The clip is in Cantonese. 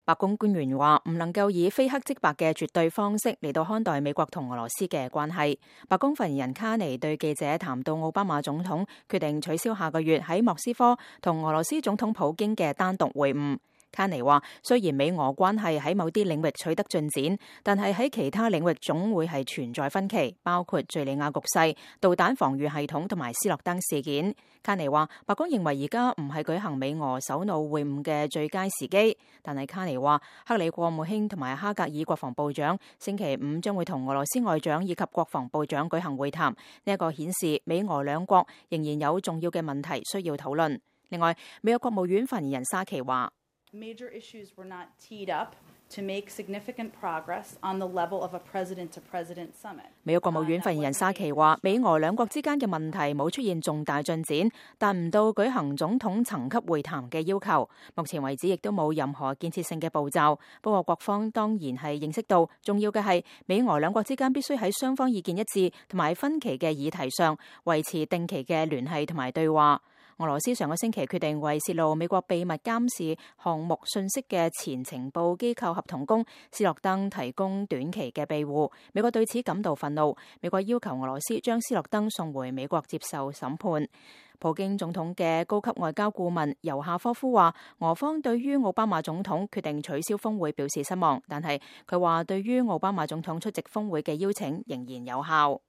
白宮官員話唔能夠以非黑即白嘅絕對方式嚟到看待美國同俄羅斯嘅關係。白宮發言人卡尼對記者談到奧巴馬總統決定取消下個月喺莫斯科同俄羅斯總統普京嘅單獨會晤。卡尼話，雖然美俄關係喺某啲領域取得進展，但係喺其他領域總會係存在分歧，包括敘利亞局勢、導彈防禦系統同埋斯諾登事件。卡尼話，白宮認為而家唔係舉行美俄首腦會晤嘅最佳時機，但係卡尼話，克里國務卿同埋哈格爾國防部長星期五將會同俄羅斯外長以及國防部長舉行會談，呢一個顯示美俄兩國仍然有重要嘅問題需要討論。另外，美國國務院發言人沙奇話，Major issues were not teed up to make significant progress on the level of a president-to-president summit. 美國國務院發言人沙奇話，美俄兩國之間嘅問題冇出現重大進展，但唔到舉行總統層級會談嘅要求。目前為止亦都冇任何建設性嘅步驟。不過，各方當然係認識到重要嘅係美俄兩國之間必須喺雙方意見一致同埋分歧嘅議題上維持定期嘅聯繫同埋對話。俄羅斯上個星期決定為泄露美國秘密監視項目信息嘅前情報機構合同工斯諾登提供短期嘅庇護，美國對此感到憤怒。美國要求俄羅斯將斯諾登送回美國接受審判。普京總統嘅高級外交顧問尤夏科夫話，俄方對於奧巴馬總統決定取消峰會表示失望，但係佢話對於奧巴馬總統出席峰會嘅邀請仍然有效。